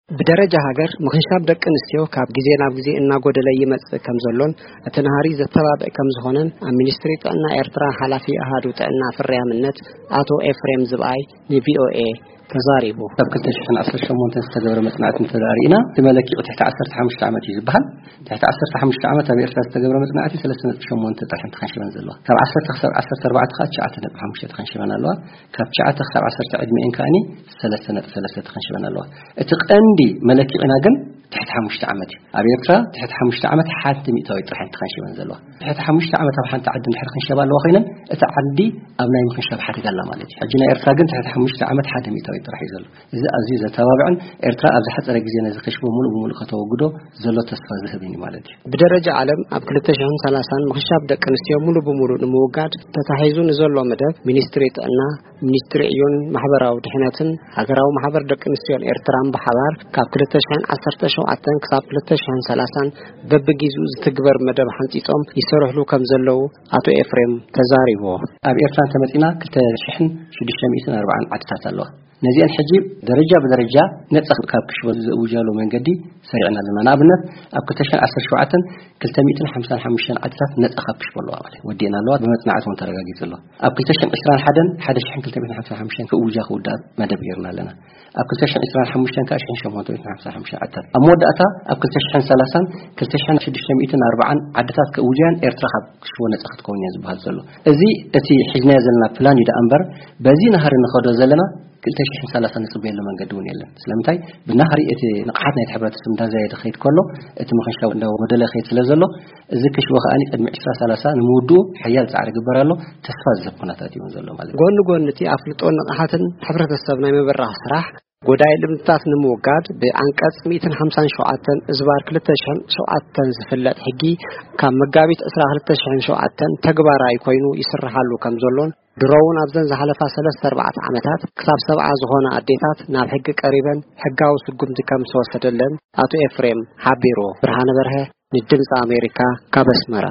ብደረጃ ሃገር ምኽንሻብ ደቂ ኣንስትዮ ካብ ግዜ ናብ ግዜ እናጎደለ ይመጽእ ከም ዘሎን እቲ ናህሪ ዘተባብዕ ከም ዝኾነን ኣብ ሚኒስትሪ ጥዕና ኤርትራ ሓላፊ ኣሃዱ ጥዕና ፍርያምነት ኣቶ ኤፍሬም ዝብኣይ ንቪኦኤ ተዛሪቡ። ካብ ክልተ ሽሕን ዓሰርተ ሸሞንተን ዝተገብረ መጽናዕቲ እንተደኣ ርኢና፣ እቲ መለክዒ ትሕቲ ዓሰርተ ሓሙሽተ ዓመት እዩ ዝበሃል። ትሕቲ ዓሰርተ ሓሙሽተ ዓመት ኣብ ኤርትራ ዝተገብረ መጽናዕቲ ሰለስተ ነጥቢ ሸሞንተ ጥራሕ ተኸንሽበን ዘለዋ። ካብ ዓሰርተ ክሳብ ዓሰርተ ኣርባዕተ ከኣ ትሽዓተ ነጥቢ ሓሙሽተ ተኸንሽበን ኣለዋ። ካብ ትሽዓተ ክሳብ ዓሰርተ ዕድሜኤን ከኣኒ ሰለስተ ነጥቢ ሰለስተ ተኸንሽበን ኣለዋ። እቲ ቀንዲ መለክዒና ግን ትሕቲ ሓሙሽተ ዓመት እዩ። ኣብ ኤርትራ ትሕቲ ሓሙሽተ ዓመት ሓንቲ ሚእታዊት ጥራሕ ተኸንሽበን ዘለዋ። ትሕቲ ሓሙሽተ ዓመት ኣብ ሓንቲ ዓዲ እንድሕር ክንሸባ ኣለዋ ኮይነን፣ እታ ዓዲ ኣብ ናይ ምኽንሻብ ሓደጋ ኣላ ማለት እዩ። ሕጂ ናይ ኤርትራ ግን ትሕቲ ሓሙሽተ ዓመት ሓደ ሚእታዊት ጥራሕ እዩ ዘሎ። እዚ ኣዝዩ ዘተባብዕን ኤርትራ ኣብ ዝሓጸረ ግዜ ነዚ ክሽቦ ሙሉእ ብሙሉእ ከተወግዶ ዘሎ ተስፋ ዝህብን እዩ ማለት እዩ። ብደረጃ ዓለም ኣብ ክልተ ሽሕን ሰላሳን ምኽንሻብ ደቂ ኣንስትዮ ሙሉእ ብሙሉእ ንምውጋድ ተታሒዙ ንዘሎ መደብ ሚኒስትሪ ጥዕና፣ ሚኒስትሪ ዕዮን ማሕበራዊ ድሕነትን ሃገራዊ ማሕበር ደቂ ኣንስትዮን ኤርትራን ብሓባር ካብ ክልተ ሽሕን ዓሰርተ ሸውዓተን ክሳብ ክልተ ሽሕን ሰላሳን በብጊዜኡ ዝትግበር መደብ ሓንጺጾም ይሰርሕሉ ከም ዘለዉ ኣቶ ኤፍሬም ተዛሪቡ። ኣብ ኤርትራ እንተመጺና ክልተ ሽሕን ሽዱሽተ ሚእትን ኣርባዓን ዓድታት ኣለዋ። ነዚአን ሕጂ ደረጃ ብደረጃ ነጻ ካብ ክሽቦ ዘእውጃሉ መንገዲ ሰሪዕና ኣለና። ንኣብነት ኣብ ክልተ ሽሕን ዓሰርተ ሸውዓተን ክልተ ሚእትን ሓምሳን ሓሙሽተን ዓድታት ነጻ ካብ ክሽቦ ኣለዋ ማለት እዩ። ወዲእና ኣለዋ፣ ብመጽናዕቲ እውን ተረጋጊጹ ኣሎ። ኣብ ክልተ ሽሕን ዕስራን ሓደን ሓደ ሽሕን ክልተ ሚእትን ሓምሳን ሓሙሽተን ክእውጃ ክውዳእ መደብ ጌርና ኣለና። ኣብ ክልተ ሽሕን ዕስራን ሓሙሽተን ከኣ ሽሕን ሸሞንተ ሚእትን ሓምሳን ሓሙሽተን ዓድታት። ኣብ መወዳእታ ኣብ ክልተ ሽሕን ሰላሳን ክልተ ሽሕን ሽዱሽተ ሚእትን ኣርባዓን ዓድታት ክእውጃን ኤርትራ ካብ ክሽቦ ነጻ ክትከውን እያ ዝበሃል ዘሎ። እዚ እቲ ሒዝናዮ ዘለና ፕላን እዩ ደኣ እምበር፣ በዚ ናህሪ ንኸዶ ዘለና ክልተ ሽሕን ሰላሳን ንጽበየሉ መንገዲ እውን የለን። ስለምንታይ? ብናህሪ እቲ ንቕሓት ናይቲ ሕብረተሰብ እንዳዛየደ ክኸይድ ከሎ፣ እቲ ምኽንሻብ እንዳጎደለ ይኸይድ ስለ ዘሎ፣ እዚ ክሽቦ ከኣ ቅድሚ ዕስራ ሰላሳ ንምውድኡ ሓያል ጻዕሪ ይግበር ኣሎ። ተስፋ ዝህብ ኩነታት እዩ እውን ዘሎ ማለት እዩ። ጎኒ ጎኒ እቲ ኣፍልጦን ንቕሓትን ሕብረተሰብ ናይ ምብራኽ ስራሕ፣ ጎዳኢ ልምድታት ንምውጋድ ብዓንቀጽ ሚእትን ሓምሳን ሸውዓተን እዝባር ክልተ ሽሕን ሸውዓተን ዝፍለጥ ሕጊ ካብ መጋቢት ዕስራ ክልተ ሽሕን ሸውዓተን ተግባራዊ ኮይኑ ይስርሓሉ ከም ዘሎን ድሮ እውን ኣብዘን ዝሓለፋ ሰለስተ ኣርባዕተ ዓመታት ክሳብ ሰብዓ ዝኾና ኣዴታት ናብ ሕጊ ቀሪበን ሕጋዊ ስጉምቲ ከም ዝተወሰደለን ኣቶ ኤፍሬም ሓቢሩ። ብርሃነ በርሀ ንድምፂ ኣሜሪካ ካብ ኣስመራ።